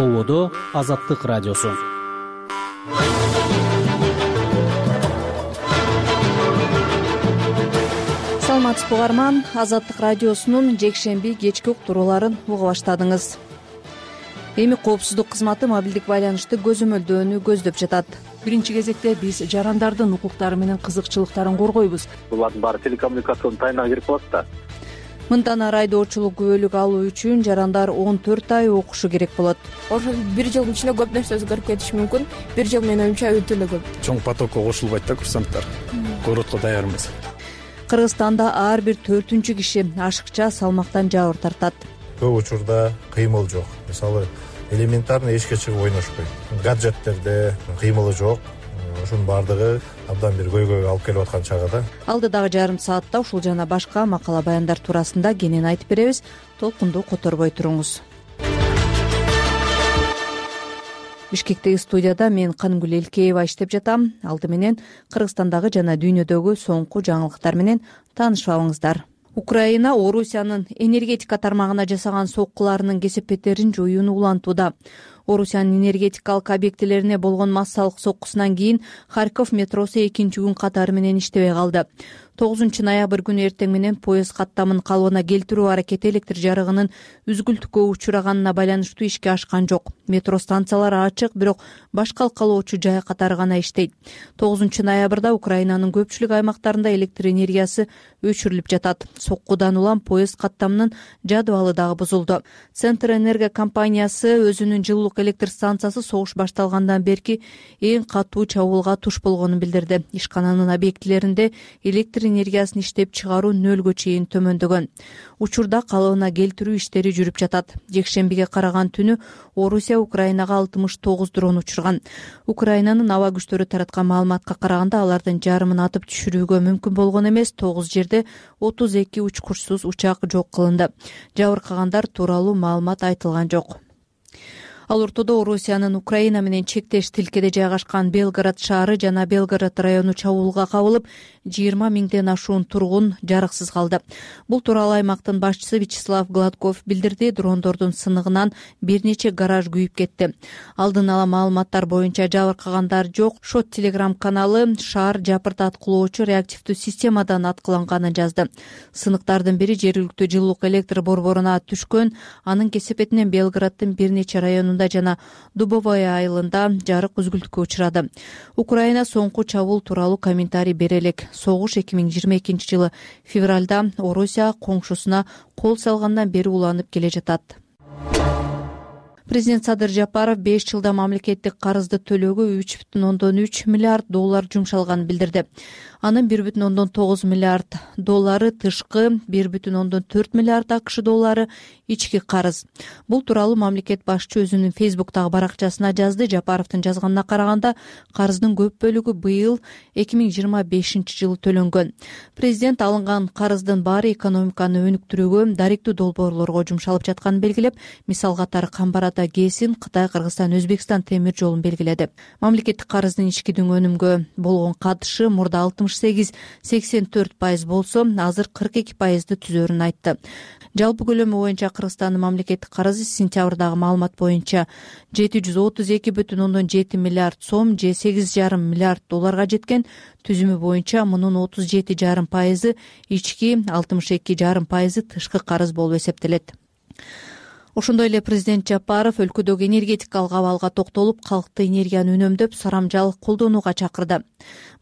Ободо Азаттык радиосу. Саламатсызбы угарман, Азаттык радиосунун жекшемби кечки уктурууларын уга баштадыңыз. Эми коопсуздук кызматы мобилдик байланышты көзөмөлдөөнү көздөп жатат. Биринчи кезекте биз жарандардын укуктары менен кызыкчылыктарын коргойбуз. Булардын баары телекоммуникациянын тайына кирип калат да. Мындан ары айдоочулук күбөлүк алуу үчүн жарандар 14 ай окушу керек болот. Ошол бир жылдын ичинде көп нерсе өзгөрүп кетиши мүмкүн. Бир жыл менин оюмча өтө эле көп. Чоң потокко кошулбайт да курсанттар. Городко даяр эмес. Кыргызстанда ар бир 4-киши ашыкча салмактан жабыр тартат. Көп учурда кыймыл жок. Мисалы, элементарный эшикке чыгып ойношпойт. Гаджеттерде кыймылы жок. Ушунун баардыгы абдан бир көйгөйгө алып келип аткан чагы. Алдыдагы жарым саатта ушул жана башка макала баяндар туурасында кенен айтып беребиз. Толкунду которбой туруңуз. Бишкектеги студияда мен Канымгүл Элкеева иштеп жатам. Алды менен Кыргызстандагы жана дүйнөдөгү соңку жаңылыктар менен таанышып алыңыздар. Украина Орусиянын энергетика тармагына жасаган соккуларынын кесепеттерин жоюуну улантууда. Орусиянын энергетикалык объектилерине болгон массалык соккусунан кийин Харьков метросу экинчи күн катары менен иштебей калды. 9 ноябрь күнү эртең менен поезд каттамын калыбына келтирүү аракети электр жарыгынын үзгүлтүккө учураганына байланыштуу ишке ашкан жок. Метро станциялары ачык, бирок башка алкалоочу жай катары гана иштейт. 9 ноябрда Украинанын көпчүлүк аймактарында электр энергиясы өчүрүлүп жатат. Соккудан улам поезд каттамынын жадыбалы дагы бузулду. Центр энерго компаниясы өзүнүн жылуулук электр станциясы согуш башталгандан берки эң катуу чабуулга туш болгонун билдирди. Ишкананын объектилеринде электр энергиясын иштеп чыгаруу нөлгө чейин төмөндөгөн. Учурда калыбына келтирүү иштери жүрүп жатат. Жекшембиге караган түнү Орусия Украинага 69 дрон учурган. Украинанын аба күчтөрү тараткан маалыматка караганда алардын жарымын атып түшүрүүгө мүмкүн болгон эмес, 9 жерде 32 учкучсуз учак жок кылынды. Жабыркагандар тууралуу маалымат айтылган жок. Ал ортодо Орусиянын Украина менен чектеш тилкеде жайгашкан Белгород шаары жана Белгород району чабуулга кабылып, 20 миңден ашуун тургун жарыксыз калды. Бул тууралуу аймактын башчысы Вячеслав Гладков билдирди. Дрондордун сыныгынан бир нече гараж күйүп кетти. Алдын ала маалыматтар боюнча жабыркагандар жок. Шот телеграм каналы шаар жапырт аткылоочу реактивдүү системадан аткыланганын жазды. Сыныктардын бири жергиликтүү жылуулук электр борборуна түшкөн. Анын кесепетинен Белгороддун бир нече районунда жана Дубовая айылында жарык үзгүлтүккө учурады. Украина соңку чабуул тууралуу комментарий бере элек. Согуш 2022 жылы февралда Орусия коңшусуна кол салгандан бери уланып келе жатат. Президент Садыр Жапаров 5 жылда мамлекеттик карызды төлөөгө 3,3 миллиард доллар жумшалганын билдирди. Анын 1,9 миллиард доллары тышкы, 1,4 миллиард АКШ доллары ички карыз. Бул тууралуу мамлекет башчы өзүнүн Фейсбуктагы баракчасына жазды. Жапаровдун жазганына караганда, карыздын көп бөлүгү быйыл 2025 жылы төлөнгөн. Президент алынган карыздын баары экономиканы өнүктүрүүгө, даректүү долбоорлорго жумшалып жатканын белгилеп, мисал катары Камбарата ГЭСин, Кытай, Кыргызстан, Өзбекстан темир жолун белгиледи. Мамлекеттик карыздын ички өнүмгө болгон катышы мурда 68-84% болсо, азыр 42%ды түзөрүн айтты. Жалпы көлөмү боюнча Кыргызстандын мамлекеттик карызы сентябрдагы маалымат боюнча 732,7 миллиард сом, же 8,5 миллиард долларга жеткен. Түзүмү боюнча мунун 37,5% ички, 62,5% тышкы карыз болуп эсептелет. Ошондой эле президент Жапаров өлкөдөгү энергетикалык абалга токтолуп, калкты энергияны үнөмдөп, сарамжал колдонууга чакырды.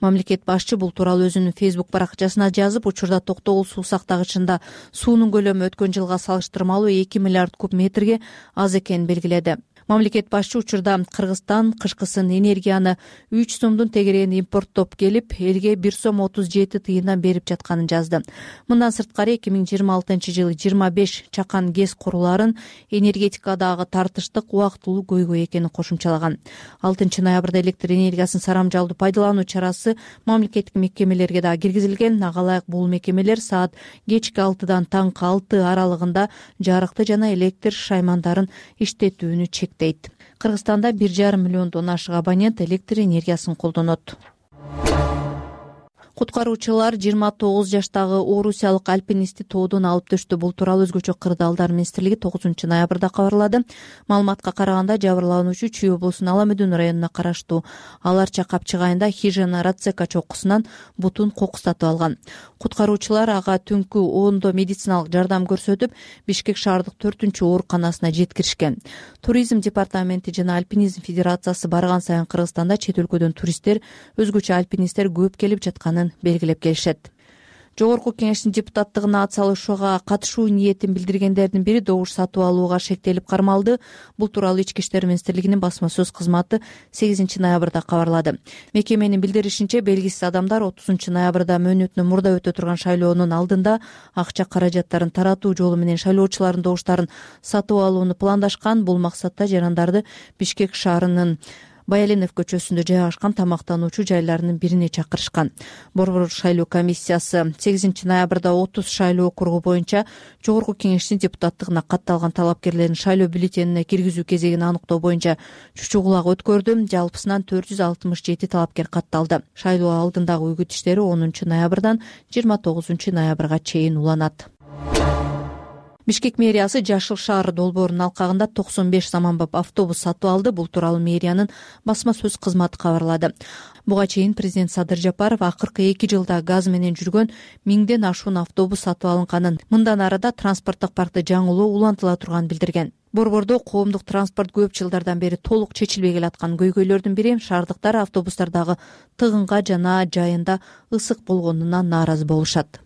Мамлекет башчы бул тууралуу өзүнүн Фейсбук баракчасына жазып, учурда токтогул суу сактагычында суунун көлөмү өткөн жылга салыштырмалуу 2 миллиард куб метрге аз экенин белгиледи. Мамлекет башчы учурда Кыргызстан кышкысын энергияны 3 сомдун тегерегинде импорттоп келип, элге 1 сом 37 тыйындан берип жатканын жазды. Мындан сырткары 2026 жылы 25 чакан ГЭС куруларын энергетикадагы тартыштык убактылуу көйгөй экенин кошумчалаган. 6 ноябрда электр энергиясын сарамжалдуу пайдалануу чарасы мамлекеттик мекемелерге дагы киргизилген. Ага ылайык бул мекемелер саат кечки 6-дан таңкы 6 аралыгында жарыкты жана электр шаймандарын иштетүүнү чектейт. Кыргызстанда 1,5 миллиондон ашык абонент электр энергиясын колдонот. Куткаруучулар 29 жаштагы орусиялык альпинистти тоодон алып төштү. Бул тууралуу өзгөчө кырдаалдар министрлиги 9 ноябрда кабарлады. Маалыматка караганда жабырлануучу Чүй облусунун Ала Медүн районуна караштуу Алар Чакапчык айында Хижина Рацека чокусунан бутун кокустатып алган. Куткаруучулар ага түнкү 10 медициналык жардам көрсөтүп, Бишкек шаардык 4-ооруканасына жеткиришкен. Туризм департаменти жана Альпинизм федерациясы барган сайын Кыргызстанда чет өлкөдөн туристтер, өзгөчө альпинисттер көп келип жатканын белгилеп келишет. Жогорку кеңештин депутаттыгына ат салышууга катышуу ниетин билдиргендердин бири добуш сатып алууга шектелип кармалды. Бул тууралуу Ички иштер министрлигинин басма сөз кызматы 8 ноябрда кабарлады. Мекеменин билдиришинче, белгисиз адамдар 30 ноябрда мөөнөтүнөн мурда өтө турган шайлоонун алдында акча каражаттарын таратуу жолу менен шайлоочулардын добуштарын сатып алууну пландашкан. Бул максатта жарандарды Бишкек шаарынын Баяленов көчөсүндө жайгашкан тамактануучу жайларынын бирине чакырышкан. Борбор шайлоо комиссиясы 8 ноябрда 30 шайлоо округу боюнча Жогорку кеңештин депутаттыгына катталган талапкерлердин шайлоо бюллетенине киргизүү кезегин аныктоо боюнча чучу кулак өткөрдү. Жалпысынан 467 талапкер катталды. Шайлоо алдындагы үгүт иштери 10 ноябрдан 29 ноябрга чейин уланат. Бишкек мэриясы Жашыл шаар долбоорунун алкагында 95 заманбап автобус сатып алды. Бул тууралуу мэриянын басма сөз кызматы кабарлады. Буга чейин президент Садыр Жапаров акыркы 2 жылда газ менен жүргөн 1000ден ашуун автобус сатып алынганын, мындан арада транспорттук паркты жаңылоо улантыла турганын билдирген. Борбордо коомдук транспорт көп жылдардан бери толук чечилбей келаткан көйгөйлөрдүн бири шаардыктар автобустардагы тыгынга жана жайында ысык болгонуна нааразы болушат.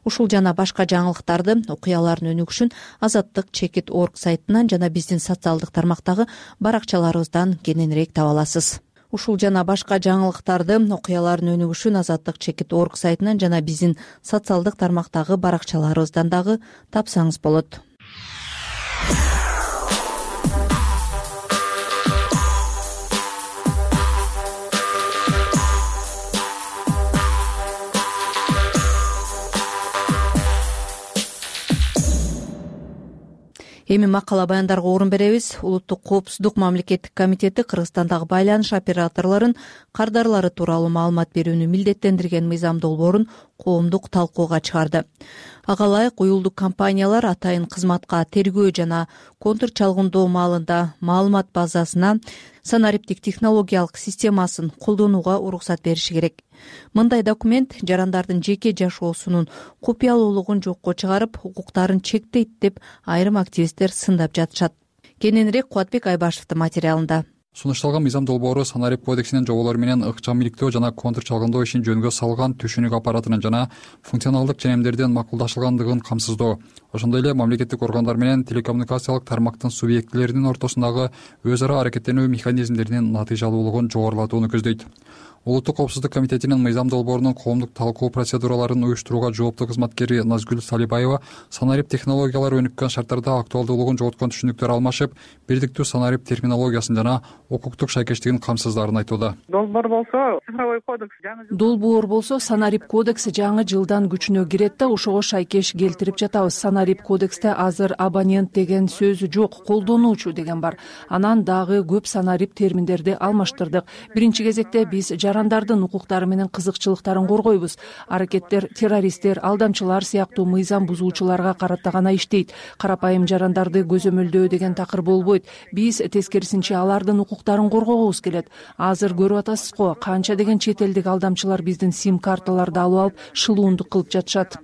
Ушул жана башка жаңылыктарды, окуялардын өнүгүшүн Азаттык.org сайтынан жана биздин социалдык тармактагы баракчаларыбыздан кененирээк таба аласыз. Ушул жана башка жаңылыктарды, окуялардын өнүгүшүн Азаттык.org сайтынан жана биздин социалдык тармактагы баракчаларыбыздан дагы тапсаңыз болот. Эми макала баяндарга орун беребиз. Улуттук коопсуздук мамлекеттик комитети Кыргызстандагы байланыш операторлорун кардарлары тууралуу маалымат берүүнү милдеттендирген мыйзам долбоорун коомдук талкууга чыгарды. Ага ылайык уюлдук компаниялар атайын кызматка тергөө жана контур чалгындоо маалында маалымат базасына санариптик технологиялык системасын колдонууга уруксат бериши керек. Мындай документ жарандардын жеке жашоосунун купуялуулугун жокко чыгарып, укуктарын чектейт деп айрым активисттер сындап жатышат. Кененирээк Кубатбек Айбашевдин материалында. Сунушталган мыйзам долбоору санарип кодексинин жоболору менен ыкчам иликтөө жана контур чалгындоо ишин жөнгө салган түшүнүк аппаратынын жана функционалдык ченемдердин макулдашылгандыгын камсыздоо, ошондой эле мамлекеттик органдар менен телекоммуникациялык тармактын субъектилеринин ортосундагы өз ара аракеттенүү механизмдеринин натыйжалуулугун жогорулатууну көздөйт. Улуттук коопсуздук комитетинин мыйзам долбоорунун коомдук талкуу процедураларын уюштурууга жооптуу кызматкери Назгүл Салибаева санарип технологиялары өнүккөн шарттарда актуалдуулугун жоготкон түшүнүктөр алмашып, бирдиктүү санарип терминологиясын жана укуктук шайкештигин камсыздарын айтууда. Долбоор болсо санарип кодекси жаңы жылдан күчүнө кирет да, ошого шайкеш келтирип жатабыз. Санарип кодексте азыр абонент деген сөз жок, колдонуучу деген бар. Анан дагы көп санарип терминдерди алмаштырдык. Биринчи кезекте биз жарандардын укуктары менен кызыкчылыктарын коргойбуз. Аракеттер террористтер, алдамчылар сыяктуу мыйзам бузуучуларга карата гана иштейт. Карапайым жарандарды көзөмөлдөө деген такыр болбойт. Биз тескерисинче алардын укуктарын коргогубуз келет. Азыр көрүп атасыз го, канча деген чет элдик алдамчылар биздин сим карталарды алып алып шылуундук кылып жатышат.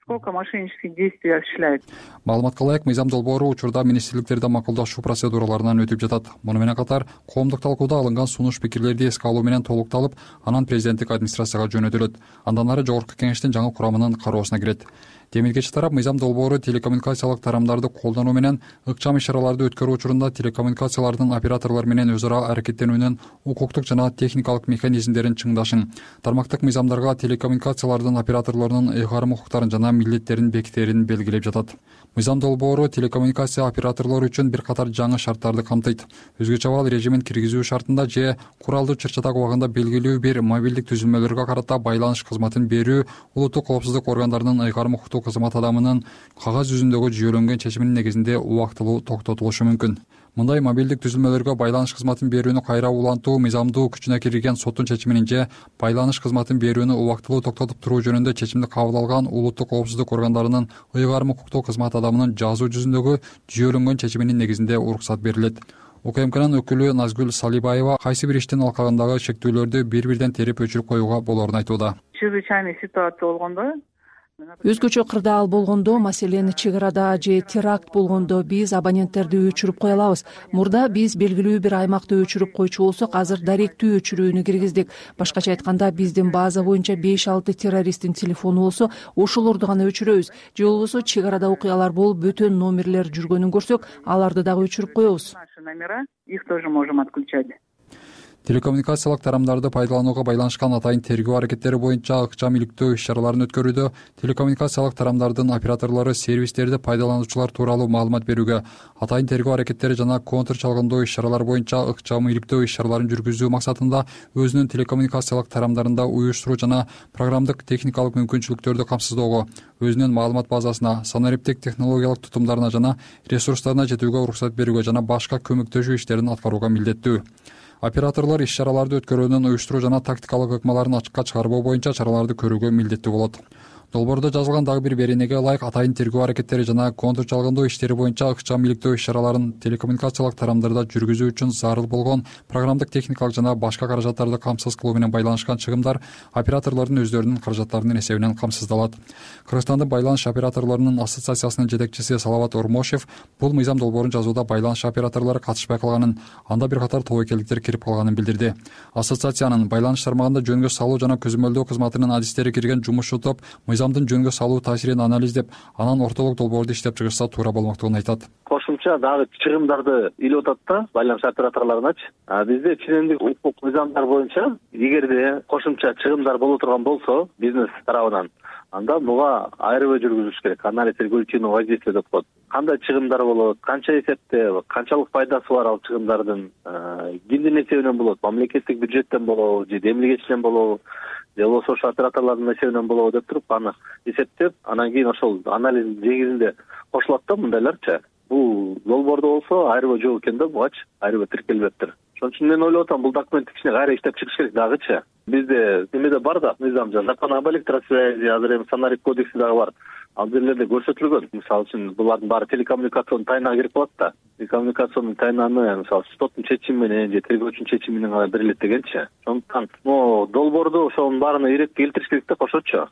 Сколько мошеннических действий осуществляет. Маалыматка ылайык мыйзам долбоору учурда министрликтерде макулдашуу процедураларынан өтүп жатат. Муну менен катар коомдук талкууда алынган сунуш пикирлерди эске алуу менен толукталып, анан президенттик администрацияга жөнөтүлөт. Андан ары жогорку кеңештин жаңы курамынын кароосуна кирет. Демилгечи тарап мыйзам долбоору телекоммуникациялык тарамдарды колдонуу менен ыкчам иш-чараларды өткөрүү учурунда телекоммуникациялардын операторлор менен өз ара аракеттенүүнүн укуктук жана техникалык механизмдерин чыңдашын, тармактык мыйзамдарга телекоммуникациялардын операторлорунун ыйгарым укуктарын жана милдеттерин бекитерин белгилеп жатат. Мыйзам долбоору телекоммуникация операторлору үчүн бир катар жаңы шарттарды камтыйт. Өзгөчө абал режимин киргизүү шартында же куралдуу чыр-чатак убагында белгилүү бир мобилдик түзүлмөлөргө карата байланыш кызматын берүү улуттук коопсуздук органдарынын ыйгарым укуктук кызмат адамынын кагаз жүзүндөгү жүйөлөнгөн чечиминин негизинде убактылуу токтотулушу мүмкүн. мындай мобилдик түзүлмөлөргө байланыш кызматын берүүнү кайра улантуу мыйзамдуу күчүнө кирген соттун чечиминин же байланыш кызматын берүүнү убактылуу токтотуп туруу жөнүндө чечимди кабыл алган улуттук коопсуздук органдарынын ыйгарым укуктуу кызмат адамынын жазуу жүзүндөгү жүйөлөнгөн чечиминин негизинде уруксат берилет. УКМКнын өкүлү Назгүл Салибаева кайсы бир иштин алкагындагы шектүүлөрдү бир-бирден терип өчүрүп коюуга болоорун айтууда. Чрезвычайный ситуация болгондо өзгөчө кырдаал болгондо, маселен чек арада же теракт болгондо биз абоненттерди өчүрүп кое алабыз. Мурда биз белгилүү бир аймакты өчүрүп койчу болсок, азыр даректүү өчүрүүнү киргиздик. Башкача айтканда, биздин база боюнча 5-6 террористтин телефону болсо, ошолорду гана өчүрөбүз. Же болбосо чек арада окуялар болуп, бөтөн номерлер жүргөнүн көрсөк, аларды дагы өчүрүп коебуз. наши номера, их тоже можем отключать. Телекоммуникациялык тарамдарды пайдаланууга байланышкан атайын тергөө аракеттери боюнча ыкчам иликтөө иш-чараларын өткөрүүдө телекоммуникациялык тарамдардын операторлору сервистерди пайдалануучулар тууралуу маалымат берүүгө, атайын тергөө аракеттери жана контр чалгындоо иш-чаралары боюнча ыкчам иликтөө иш-чараларын жүргүзүү максатында өзүнүн телекоммуникациялык тарамдарында уюштуруу жана программдык техникалык мүмкүнчүлүктөрдү камсыздоого, өзүнүн маалымат базасына, санариптик технологиялык тутумдарына жана ресурстарына жетүүгө уруксат берүүгө жана башка көмөктөшүү иштерин аткарууга милдеттүү. Операторлор иш-чараларды өткөрүүнүн уюштуруу жана тактикалык ыкмаларын ачыкка чыгарбоо боюнча чараларды көрүүгө милдеттүү болот. Долбоордо жазылган дагы бир беренеге ылайык атайын тергөө аракеттери жана контр чалгындоо иштери боюнча ыкчам иликтөө иш-чараларын телекоммуникациялык тарамдарда жүргүзүү үчүн зарыл болгон программдык техникалык жана башка каражаттарды камсыз кылуу менен байланышкан чыгымдар операторлордун өздөрүнүн каражаттарынын эсебинен камсыздалат. Кыргызстандын байланыш операторлорунун ассоциациясынын жетекчиси Салават Ормошев бул мыйзам долбоорун жазууда байланыш операторлору катышпай калганын, анда бир катар тобокелдиктер кирип калганын билдирди. Ассоциациянын байланыш тармагында жөнгө салуу жана көзөмөлдөө кызматынын адистери кирген жумушчу топ мыйзамдын жөнгө салуу таасирин анализдеп, анан ортолук долбоорду иштеп чыгышса туура болмоктугун айтат. Кошумча дагы чыгымдарды илип атат да байланыш операторлоруначы. Бизде ченемдик укук мыйзамдар боюнча эгерде кошумча чыгымдар боло турган болсо бизнес тарабынан, анда буга айрыбый жүргүзүш керек. Анализ регулятивного воздействия деп коет. Кандай чыгымдар болот, канча эсепте, канчалык пайдасы бар ал чыгымдардын, кимдин эсебинен болот, мамлекеттик бюджеттен болобу же демилгечтен болобу, же болбосо ошо операторлордун эсебинен болобу деп туруп аны эсептеп, анан кийин ошол анализ негизинде кошулат да мындайларчы. Бул долбоордо болсо айрыбый жок экен да, бугачы айрыбый тиркелбептир. Ошон үчүн мен ойлоп атам, бул документ кичине кайра иштеп чыгыш керек дагычы. Бизде немеде бар да мыйзам, закон об электросвязи, азыр эми санарип кодекси дагы бар. Ал жерлерде көрсөтүлгөн. Мисалы үчүн булардын баары телекоммуникацион тайнага кирип калат да. Телекоммуникацион тайнаны мисалы соттун чечими менен же тергөөчүнүн чечими менен гана берилет дегенчи. Ошондуктан долбоорду ошонун баарына иретке келтириш керек да кошочу.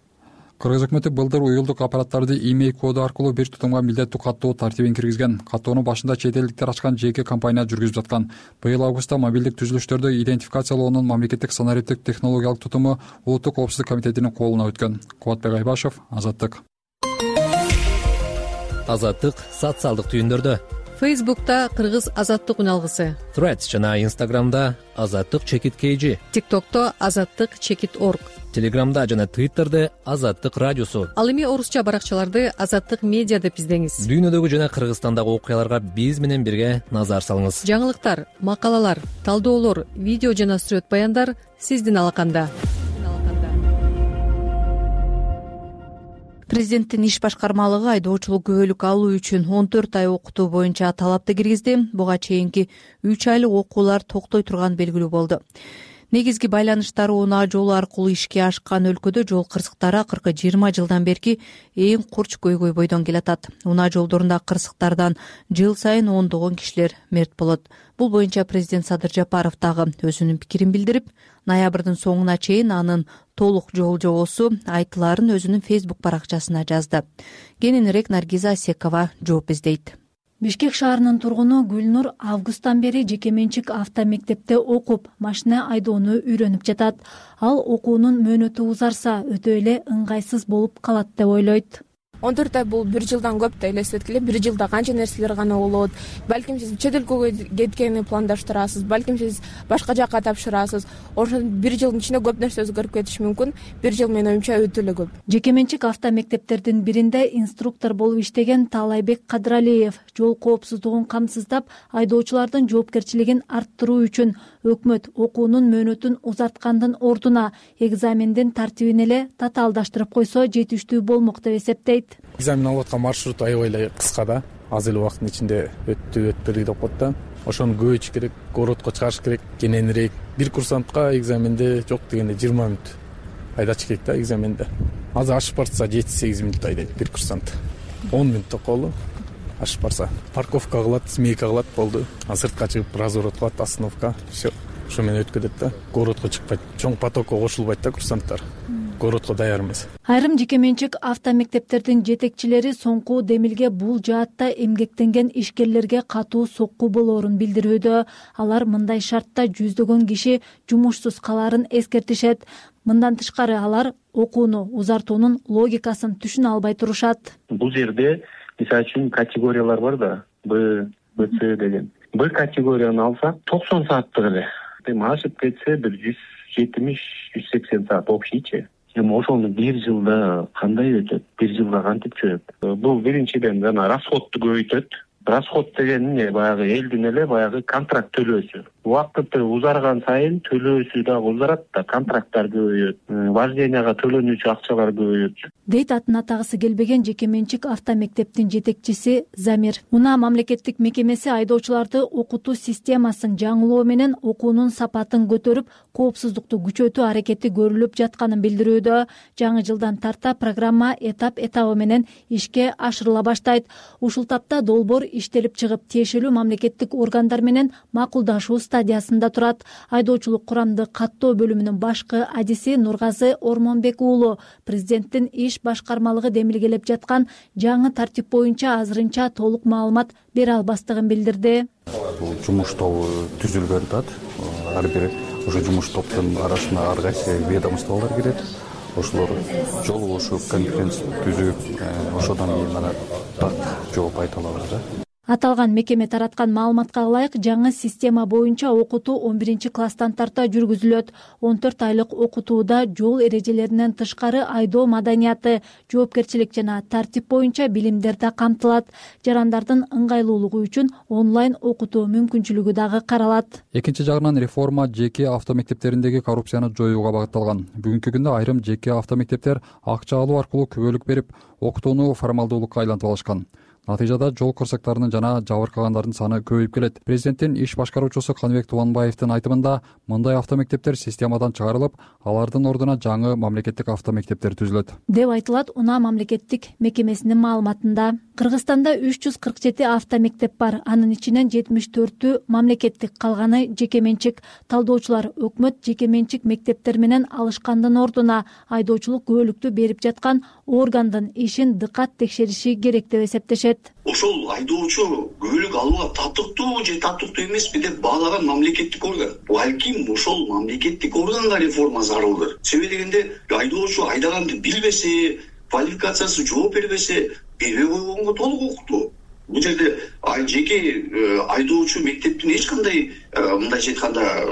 Кыргыз өкмөтү былтыр уюлдук аппараттарды имей коду аркылуу бир тутумга милдеттүү каттоо тартибин киргизген. Каттоонун башында чет элдиктер ачкан жеке компания жүргүзүп жаткан. Быйыл августта мобилдик түзүлүштөрдү идентификациялоонун мамлекеттик санариптик технологиялык тутуму Улуттук коопсуздук комитетинин колуна өткөн. Кубатбек Айбашев, Азаттык. Азаттык социалдык түйүндөрдө. Фейсбукта Кыргыз Азаттык үналгысы, Threads жана Instagramда Азаттык _KG, TikTokто Азаттык _org, Телеграмда жана Twitterде Азаттык радиосу. Ал эми орусча баракчаларды Азаттык медиа деп издеңиз. Дүйнөдөгү жана Кыргызстандагы окуяларга биз менен бирге назар салыңыз. Жаңылыктар, макалалар, талдоолор, видео жана сүрөт баяндар сиздин алаканда. Президенттин иш башкармалыгы айдоочулук күбөлүк алуу үчүн 14 ай окутуу боюнча талапты киргизди. Буга чейинки 3 айлык окуулар токтой турган белгилүү болду. Негизги байланыштары унаа жолу аркылуу ишке ашкан өлкөдө жол кырсыктары акыркы 20 жылдан берки эң курч көйгөй бойдон келатат. Унаа жолдорунда кырсыктардан жыл сайын ондогон кишилер мерт болот. Бул боюнча президент Садыр Жапаров дагы өзүнүн пикирин билдирип, ноябрдын соңуна чейин анын толук жол жобосу айтылаарын өзүнүн Facebook баракчасына жазды. Кененирээк Наргиза Асекова жооп издейт. Бишкек шаарынын тургуну Гүлнур августтан бери жеке менчик автомектепте окуп, машина айдоону үйрөнүп жатат. Ал окуунун мөөнөтү узарса, өтө эле ыңгайсыз болуп калат деп ойлойт. 14 ай бул 1 жылдан көп да элестеткиле. 1 жылда канча нерселер гана болот. Балким сиз чет өлкөгө кеткени пландаштырасыз, балким сиз башка жакка тапшырасыз. Ошон 1 жылдын ичинде көп нерсе өзгөрүп кетиши мүмкүн. 1 жыл менин оюмча өтө эле көп. Жеке менчик автомектептердин биринде инструктор болуп иштеген Таалайбек Кадыралиев жол коопсуздугун камсыздап, айдоочулардын жоопкерчилигин арттыруу үчүн өкмөт окуунун мөөнөтүн узарткандын ордуна экзамендин тартибин эле татаалдаштырып койсо жетиштүү болмок деп эсептейт. Экзамен алып аткан маршрут аябай эле кыска да. аз эле убакыттын ичинде өтпөдүк деп коет да. Ошону көбөйтүш керек, городко чыгарыш керек, кененирээк. Бир курсантка экзаменде жок дегенде 20 мүнөт айдаш керек да экзаменде. Азыр ашып барса 7-8 мүнөт айдайт бир курсант. 10 мүнөттө колу ашып барса. Парковка кылат, смейка кылат болду. Сыртка чыгып разворот кылат, остановка. Все. Ошо менен өткөзөт да. Городко чыкпайт. Чоң потокко кошулбайт да курсанттар. Городко даяр эмес. Айрым жеке менчик автомектептердин жетекчилери соңку демилге бул жаатта эмгектенген ишкерлерге катуу сокку болоорун билдирүүдө. Алар мындай шартта жүздөгөн киши жумушсуз калаарын эскертишет. Мындан тышкары алар окууну узартуунун логикасын түшүнө албай турушат. Бул жерде мисалы үчүн категориялар бар да, Б, С деген. Б категорияны алсак 90 сааттык эле. Ашып кетсе 170-180 саат общийчи. Ошону бир жылда кандай өтөт? Бир жылда кантип чөп? Бул биринчиден жана расходду көбөйтөт. Расход деген эмне? Баягы элдин эле баягы контракт төлөөсү. Убакыты узарган сайын төлөөсү дагы узарат да, контракттар көбөйөт, вожденияга төлөнүүчү акчалар көбөйөт. Дейт атын атагысы келбеген жеке менчик автомектептин жетекчиси Замир. Унаа мамлекеттик мекемеси айдоочуларды окутуу системасын жаңылоо менен окуунун сапатын көтөрүп, коопсуздукту күчөтүү аракети көрүлүп жатканын билдирүүдө. Жаңы жылдан тарта программа этап менен ишке ашырыла баштайт. Ушул тапта долбоор иштелип чыгып, тиешелүү мамлекеттик органдар менен макулдашуу стадиясында турат. Айдоочулук курамды каттоо бөлүмүнүн башкы адиси Нургазы Ормонбек уулу президенттин иш башкармалыгы демилгелеп жаткан жаңы тартип боюнча азырынча толук маалымат бере албастыгын билдирди. Бул жумуш тобу түзүлгөн атат. Ар бир ошо жумуш топтун арасына ар кайсы ведомстволор кирет. Ошолор жолугушуп, конференция түзүп, ошодон кийин ана так жооп айта алабыз да. Аталган мекеме тараткан маалыматка ылайык, жаңы система боюнча окутуу 11-класстан тарта жүргүзүлөт. 14 айлык окутууда жол эрежелеринен тышкары айдоо маданияты, жоопкерчилик жана тартип боюнча билимдер да камтылат. Жарандардын ыңгайлуулугу үчүн онлайн окутуу мүмкүнчүлүгү дагы каралат. Экинчи жагынан реформа жеке автомектептериндеги коррупцияны жоюуга багытталган. Бүгүнкү күндө айрым жеке автомектептер акча алуу аркылуу күбөлүк берип, окутууну формалдуулукка айлантып алышкан. Натыйжада жол кырсыктарынын жана жабыркагандардын саны көбөйүп келет. Президенттин иш башкаруучусу Каныбек Тубанбаевдин айтымында, мындай автомектептер системадан чыгарылып, алардын ордуна жаңы мамлекеттик автомектептер түзүлөт деп айтылат Унаа мамлекеттик мекемесинин маалыматында. Кыргызстанда 347 автомектеп бар. Анын ичинен 74-тү мамлекеттик, калганы жеке менчик. Талдоочулар өкмөт жеке менчик мектептер менен алышкандын ордуна айдоочулук күбөлүктү берип жаткан органдын ишин дыкат текшериши керек деп эсептешет. Ошол айдоочу күбөлүк алууга татыктуу же татыктуу эмеспи деп баалаган мамлекеттик орган. Балким ошол мамлекеттик органга реформа зарылдыр. Себеби дегенде айдоочу айдаганды билбесе, квалификациясы жооп бербесе, бербей койгонго толук укуктуу. Бул жерде жеке айдоочу мектептин эч кандай мындайча айтканда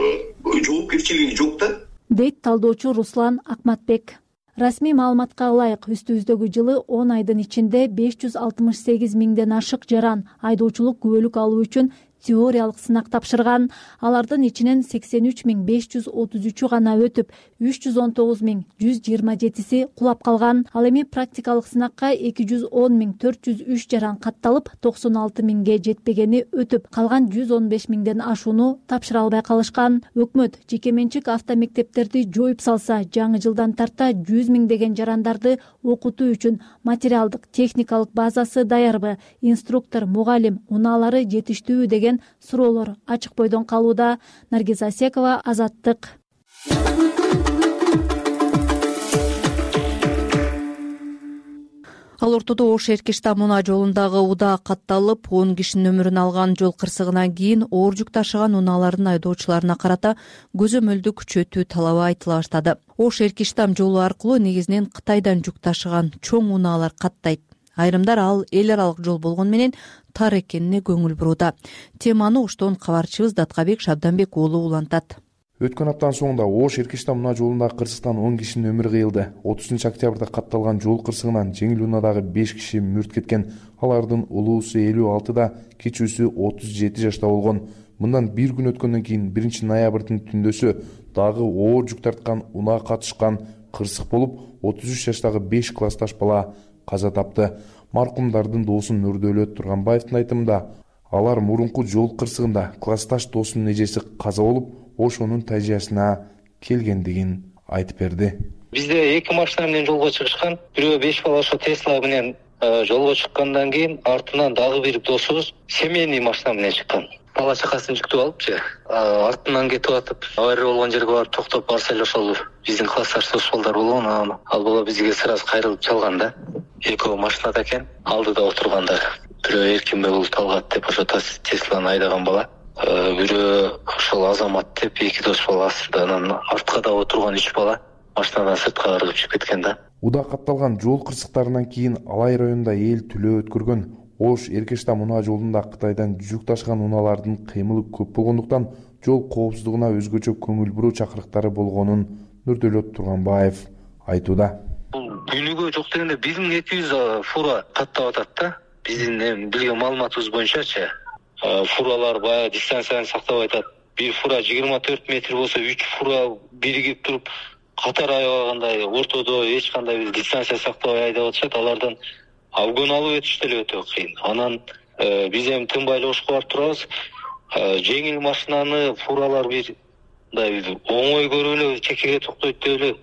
жоопкерчилиги жок да. Дейт талдоочу Руслан Акматбек. Расмий маалыматка ылайык, үстүбүздөгү жылы 10 айдын ичинде 568 миңден ашык жаран айдоочулук күбөлүк алуу үчүн теориялык сынак тапшырган. Алардын ичинен 83.533 гана өтүп, 319.127 кулап калган. Ал эми практикалык сынакка 210.403 жаран катталып, 96.000ге жетпегени өтүп, калган 115.000ден ашууну тапшыра албай калышкан. Өкмөт жеке менчик автомектептерди жоюп салса, жаңы жылдан тарта 100.000 деген жарандарды окутуу үчүн материалдык, техникалык базасы даярбы, инструктор, мугалим, унаалары жетиштүүбү деген суроолор ачык бойдон калууда. Наргиз Асекова, Азаттык. Ал ортодо Ош Эркиштам унаа жолундагы удаа катталып, 10 кишинин өмүрүн алган жол кырсыгынан кийин оор жүк ташыган унаалардын айдоочуларына карата көзөмөлдү күчөтүү талабы айтыла баштады. Ош Эркиштам жолу аркылуу негизинен Кытайдан жүк ташыган чоң унаалар каттайт. Айрымдар ал эл аралык жол болгону менен тар экенине көңүл бурууда. Теманы Оштон кабарчыбыз Даткабек Шабданбек уулу улантат. Өткөн аптанын соңунда Ош Эркиштам унаа жолундагы кырсыктан 10 кишинин өмүрү кыйылды. 30-октябрда катталган жол кырсыгынан жеңил унаадагы 5 киши мүрт кеткен. Алардын улуусу 56да, кичүүсү 37 жашта болгон. Мындан бир күн өткөндөн кийин 1-ноябрдын түндөсү дагы оор жүк тарткан унаа катышкан кырсык болуп, 33 жаштагы 5 классташ бала каза тапты. маркумдардын досу Нурдөөлөт Турганбаевдин айтымында, алар мурунку жол кырсыгында классташ досунун эжеси каза болуп, ошонун тажыясына келгендигин айтып берди. Бизде 2 машина менен жолго чыгышкан. Бирөө 5 бала ошо Тесла менен жолго чыккандан кийин артынан дагы бир досубуз семейный машина менен чыккан. Бала чакасын жүктүп алыпчы. Артынан кетип атып, авария болгон жерге барып токтоп барса эле ошол биздин классташ дос балдар болгон. Ал бала бизге сразу кайрылып чалган да. Экөө машинада экен, алдыда отургандар. Бирөө Эркинбек Талгат деп ошо Тесланы айдаган бала. Бирөө ошол Азамат деп 2 дос бала астында, анан артка да отурган 3 бала машинадан сыртка ыргып чыгып кеткен да. Уда катталган жол кырсыктарынан кийин Алай районунда эл түлөө өткөргөн Ош Эркештам унаа жолунда Кытайдан жүк ташыган унаалардын кыймылы көп болгондуктан жол коопсуздугуна өзгөчө көңүл буруу чакырыктары болгонун Нурдөөлөт Турганбаев айтууда. Күнүгө жок дегенде 1200 фура каттап атат да. Биздин билген маалыматыбыз боюнчачы, фуралар баягы дистанцияны сактап атат. Бир фура 24 метр болсо 3 фура биригип туруп катар аябагандай ортодо эч кандай дистанция сактабай айдап атышат. Алардан обгон алып өтүш деле өтө кыйын. Анан биз эми тынбай эле Ошко барып турабыз. Жеңил машинаны фуралар бир мындай оңой көрүп эле чекеге токтойт деп эле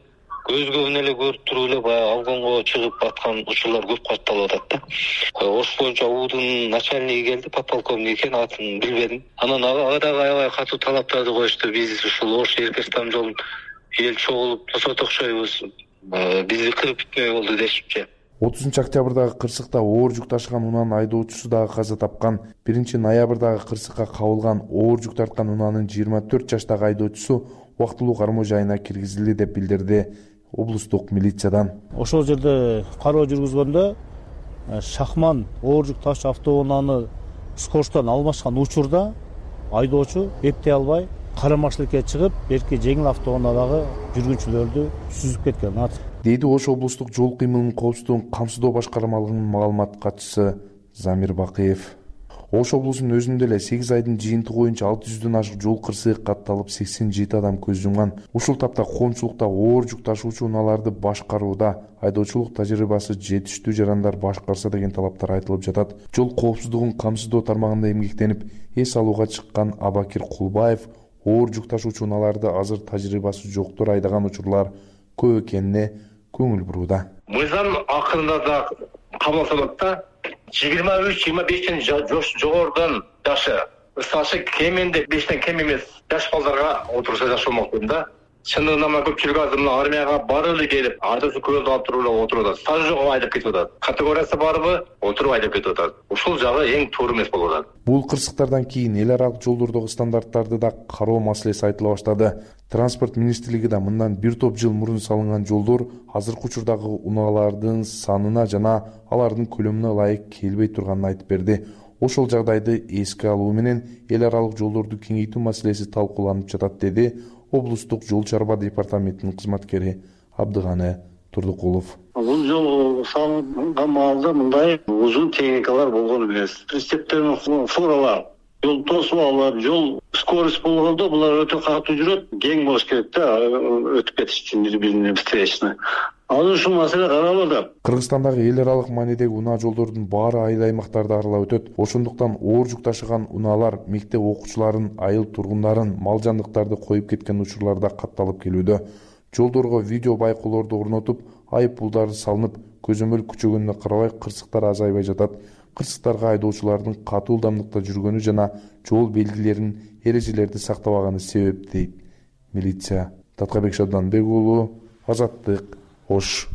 көзгөбүн эле көрүп туруп эле баягы обгонго чыгып аткан учурлар көп катталып атат да. Ош боюнча УУдун начальниги келди, подполковник экен, атын билбедим. Анан ага дагы аябай катуу талаптарды коюшту. Биз ушул Ош Эркештам жолун эл чогулуп тосот окшойбуз, бизди кырып бүтмөй болду дешипчи. 30-октябрдагы кырсыкта оор жүк ташыган унаанын айдоочусу дагы каза тапкан. 1-ноябрдагы кырсыкка кабылган оор жүк тарткан унаанын 24 жаштагы айдоочусу убактылуу кармоо жайына киргизилди деп билдирди облустук милициядан. Ошол жерде кароо жүргүзгөндө Шахман оор жүк таш автоунааны скоросттон алмашкан учурда айдоочу эптей албай карамаштыкка чыгып, эрки жеңил автоунаадагы жүргүнчүлөрдү сүзүп кеткен. Дейди Ош облустук жол кыймылынын коопсуздугун камсыздоо башкармалыгынын маалымат катчысы Замир Бакыев. Ош облусунун өзүндө эле 8 айдын жыйынтыгы боюнча 600дөн ашык жол кырсыгы катталып 87 адам көз жумган. Ушул тапта коомчулукта оор жүк ташуучу унааларды башкарууда айдоочулук тажрыйбасы жетиштүү жарандар башкарса деген талаптар айтылып жатат. Жол коопсуздугун камсыздоо тармагында эмгектенип, эс алууга чыккан Абакир Кулбаев оор жүк ташуучу унааларды азыр тажрыйбасы жоктор айдаган учурлар көп экенине көңүл бурууда. Мыйзам акырында да кабыл алынат да. 23-25тен жогорудон жашы, ысашы кеминде 5тен кем эмес жаш балдарга отурса жакшы болмок да. Чындыгында көпчүлүк азыр мына армияга бары эле келип, ардысы көөлдү алып туруп эле отуруп атат. Стажы жок айдап кетип атат. Категориясы барбы, отуруп айдап кетип атат. Ушул жагы эң туура эмес болуп атат. Бул кырсыктардан кийин эл аралык жолдордогу стандарттарды да кароо маселеси айтыла баштады. Транспорт министрлиги да мындан бир топ жыл мурун салынган жолдор азыркы учурдагы унаалардын санына жана алардын көлөмүнө ылайык келбей турганын айтып берди. Ошол жагдайды эске алуу менен эл аралык жолдорду кеңейтүү маселеси талкууланып жатат, деди облустук жол чарба департаментинин кызматкери Абдыганы Турдукулов. Бул жол салынган маалда мындай узун техникалар болгон эмес. Прицептер менен фуралар, жол тосуп алып, жол скорость болгондо булар өтө катуу жүрөт, кең болуш керек да, өтүп кетиш үчүн бири-бирине встречный. Азыр ушул маселе каралып. Кыргызстандагы эл аралык маанидеги унаа жолдордун баары айыл аймактарды аралап өтөт. Ошондуктан оор жүк ташыган унаалар мектеп окуучуларын, айыл тургундарын, мал жандыктарды коюп кеткен учурларда катталып келүүдө. Жолдорго видео байкоолорду орнотуп, айып пулдары салынып, көзөмөл күчөгөнүнө карабай кырсыктар азайбай жатат. Кырсыктарга айдоочулардын катуу ылдамдыкта жүргөнү жана жол белгилерин, эрежелерди сактабаганы себеп дейт милиция. Таткабек Шабданбек уулу, Азаттык, Ош.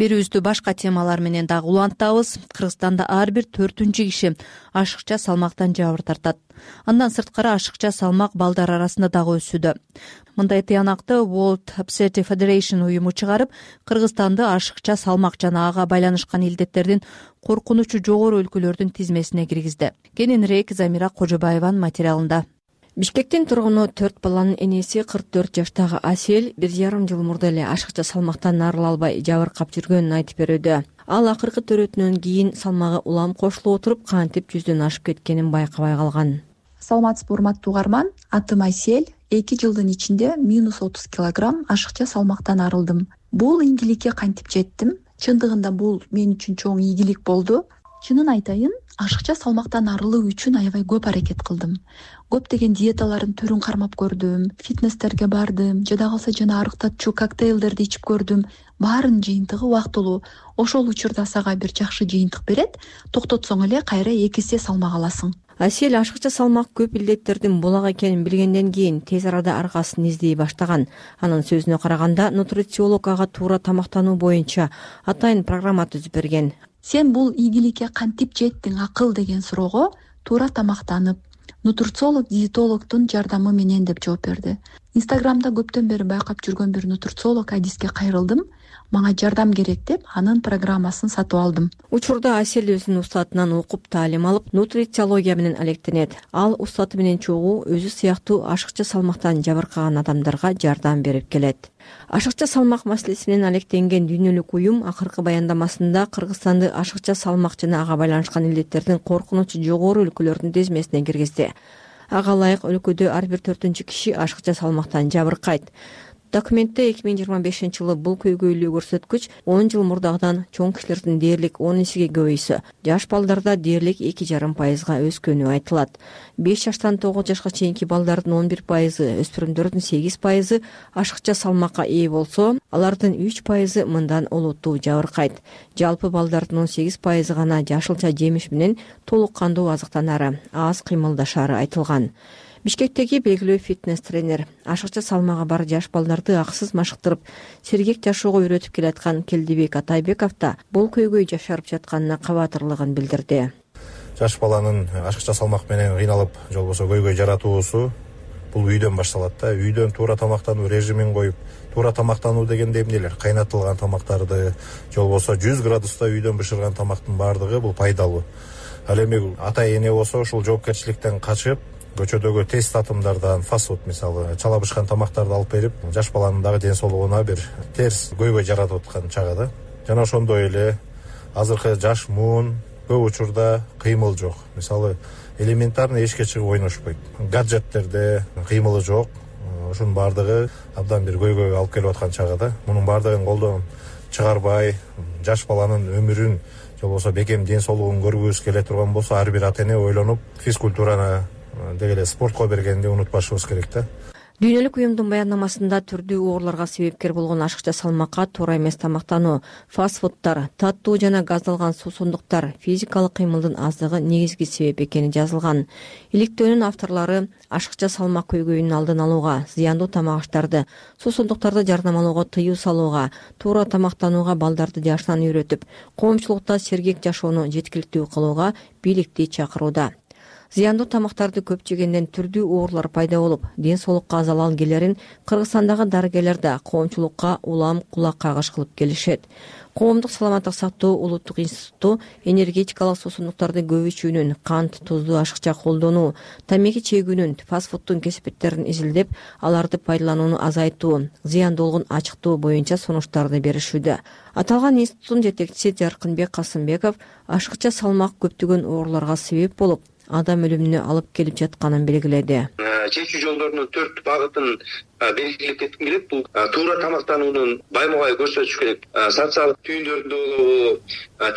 Берүүбүздү башка темалар менен дагы улантабыз. Кыргызстанда ар бир 4-киши ашыкча салмактан жабыр тартат. Андан сырткары ашыкча салмак балдар арасында дагы өсүүдө. Мындай тыянакты World Obesity Federation уюму чыгарып, Кыргызстанды ашыкча салмак жана ага байланышкан илдеттердин коркунучу жогору өлкөлөрдүн тизмесине киргизди. Кененирээк Замира Кожобаеванын материалында. Бишкектин тургуну 4 баланын энеси 44 жаштагы Асель 1,5 жыл мурда эле ашыкча салмактан арыла албай жабыркап жүргөнүн айтып берүүдө. Ал акыркы төрөтүнөн кийин салмагы улам кошулуп отуруп, кантип 100дөн ашып кеткенин байкабай калган. Саламатсызбы урматтуу угарман, атым Асель, 2 жылдын ичинде минус 30 килограмм ашыкча салмактан арылдым. Бул ийгиликке кантип жеттим? Чындыгында бул мен үчүн чоң ийгилик болду. Чынын айтайын, ашыкча салмактан арылуу үчүн аябай көп аракет кылдым. Көптөгөн диеталардын түрүн кармап көрдүм, фитнестерге бардым, жада калса жана арыктатчу коктейлдерди ичип көрдүм. Баарынын жыйынтыгы убактылуу. Ошол учурда сага бир жакшы жыйынтык берет, токтотсоң эле кайра 2 эсе салмак аласың. Асель ашыкча салмак көп илдеттердин булак экенин билгенден кийин тез арада аргасын издей баштаган. Анын сөзүнө караганда, нутрициолог ага туура тамактануу боюнча атайын программа түзүп берген. Сен бул ийгиликке кантип жеттиң акыл деген суроого туура тамактанып, нутрициолог диетологдун жардамы менен деп жооп берди. Инстаграмда көптөн бери байкап жүргөн бир нутрициолог Адиске кайрылдым. Мага жардам керек деп анын программасын сатып алдым. Учурда Асель өзүнүн устатынан окуп таалим алып, нутрициология менен алектенет. Ал устаты менен чогуу өзү сыяктуу ашыкча салмактан жабыркаган адамдарга жардам берип келет. Ашыкча салмак маселеси менен алектенген дүйнөлүк уюм акыркы баяндамасында Кыргызстанды ашыкча салмак жана ага байланышкан илдеттердин коркунучу жогору өлкөлөрдүн тизмесине киргизди. Ага ылайык өлкөдө ар бир 4-киши киши ашыкча салмактан жабыркайт. Документте 2025-жылы бул көйгөйлүү көрсөткүч 10 жыл мурдагыдан чоң кишилердин дээрлик 10 эсеге көбөйсө, жаш балдарда дээрлик 2,5% өскөнү айтылат. 5 жаштан 9 жашка чейинки балдардын 11%, өспүрүмдөрдүн 8% ашыкча салмакка ээ болсо, алардын 3% мындан олуттуу жабыркайт. Жалпы балдардын 18% гана жашылча жемиш менен толук кандуу азыктанары, аз кыймылдашары айтылган. Бишкектеги белгилүү фитнес тренер, ашыкча салмагы бар жаш балдарды акысыз машыктырып, сергек жашоого үйрөтүп келаткан Келдибек Атайбеков да бул көйгөй жашарып жатканына кабатырлыгын билдирди. Жаш баланын ашыкча салмак менен кыйналып, же болбосо көйгөй жаратуусу бул үйдөн башталат да. Үйдөн туура тамактануу режимин коюп, туура тамактануу дегенде эмнелер? Кайнатылган тамактарды, же болбосо 100 градуста үйдөн бышырган тамактын баардыгы бул пайдалуу. Ал эми ата эне болсо ушул жоопкерчиликтен качып, көчөдөгү тез татымдардан, фастфуд мисалы, чала бышкан тамактарды алып берип, жаш баланын дагы ден соолугуна бир терс көйгөй жаратып аткан чагы да. Жана ошондой эле азыркы жаш муун көп учурда кыймыл жок. Мисалы, элементарный эшикке чыгып ойношпойт. Гаджеттерде кыймылы жок. Ошонун баардыгы абдан бир көйгөйгө алып келип аткан чагы да. Мунун баардыгын колдон чыгарбай, жаш баланын өмүрүн, же болбосо бекем ден соолугун көргүбүз келе турган болсо, ар бир ата эне ойлонуп, физкультураны деги эле спортко бергенди унутпашыбыз керек да. Дүйнөлүк уюмдун баяндамасында түрдүү ооруларга себепкер болгон ашыкча салмакка туура эмес тамактануу, фастфудтар, таттуу жана газдалган суусундуктар, физикалык кыймылдын аздыгы негизги себеп экени жазылган. Иликтөөнүн авторлору ашыкча салмак көйгөйүнүн алдын алууга, зыяндуу тамак аштарды, суусундуктарды жардамалоого тыюу салууга, туура тамактанууга балдарды жашынан үйрөтүп, коомчулукта сергек жашоону жеткиликтүү кылууга бийликти чакырууда. Зыяндуу тамактарды көп жегенден түрдүү оорулар пайда болуп, ден соолукка залал келерин Кыргызстандагы дарыгерлер да коомчулукка улам кулак кагыш кылып келишет. Коомдук саламаттык сактоо улуттук институту энергетикалык суусундуктарды көп ичүүнүн, кант, тузду ашыкча колдонуу, тамеки чегүүнүн, фастфудтун кесипеттерин изилдеп, аларды пайдаланууну азайтуу, зыяндуулугун ачыктоо боюнча сунуштарды беришүүдө. Аталган институттун жетекчиси Жаркынбек Касымбеков ашыкча салмак көптөгөн ооруларга себеп болуп, адам өлүмүнө алып келип жатканын белгиледи. Чечүү жолдорунун 4 багытын белгилеп кетким келет. Бул туура тамактануунун баймугай көрсөтүш керек. Социалдык түйүндөрдө болобу,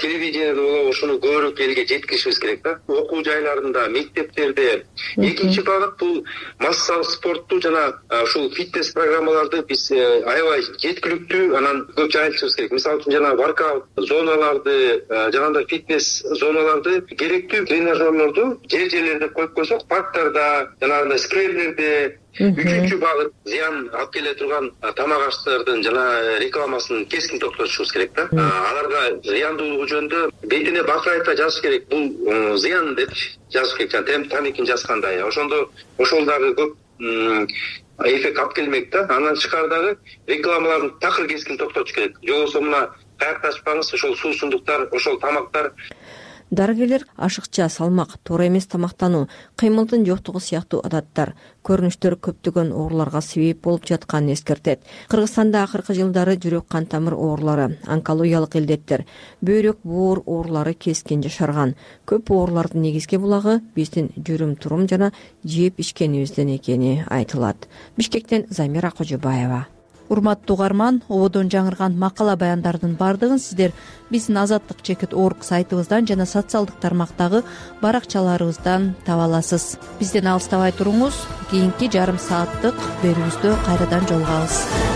телевидениеде болобу, ушуну көбүрөөк элге жеткиришибиз керек да. Окуу жайларында, мектептерде. Экинчи багыт бул массалык спортту жана ушул фитнес программаларды биз аябай жеткиликтүү, анан көп жайылтышыбыз керек. Мисалы үчүн жана воркаут зоналарды, жанагындай фитнес зоналарды, керектүү тренажерлорду жер-жерлерде коюп койсок, парктарда, жанагындай скверлерде. Үчүнчү багыт зыян алып келе турган тамак аштардын жана рекламасын кескин токтотушубуз керек да. Аларга зыяндуулугу жөнүндө бетине бакырайта жазыш керек. Бул зыян деп жазыш керек. Жана тамекини жазгандай. Ошондо ошол дагы көп эффект алып келмек да. Андан тышкары дагы рекламаларын такыр кескин токтотуш керек. Же болбосо мына каякташпаңыз, ошол суусундуктар, ошол тамактар. Дарыгерлер ашыкча салмак, туура эмес тамактануу, кыймылдын жоктугу сыяктуу адаттар, көрүнүштөр көптөгөн ооруларга себеп болуп жатканын эскертет. Кыргызстанда акыркы жылдары жүрөк кан тамыр оорулары, онкологиялык илдеттер, бөйрөк буур оорулары кескин жашарган. Көп оорулардын негизги булагы биздин жүрүм-турум жана жеп ичкенибизден экени айтылат. Бишкектен Замира Кожобаева. Урматтуу угарман, ободон жаңырган макала баяндардын бардыгын сиздер биздин azadlyk.org сайтыбыздан жана социалдык тармактагы баракчаларыбыздан таба аласыз. Бизден алыстабай туруңуз. Кийинки жарым сааттык берүүбүздө кайрадан жолугабыз.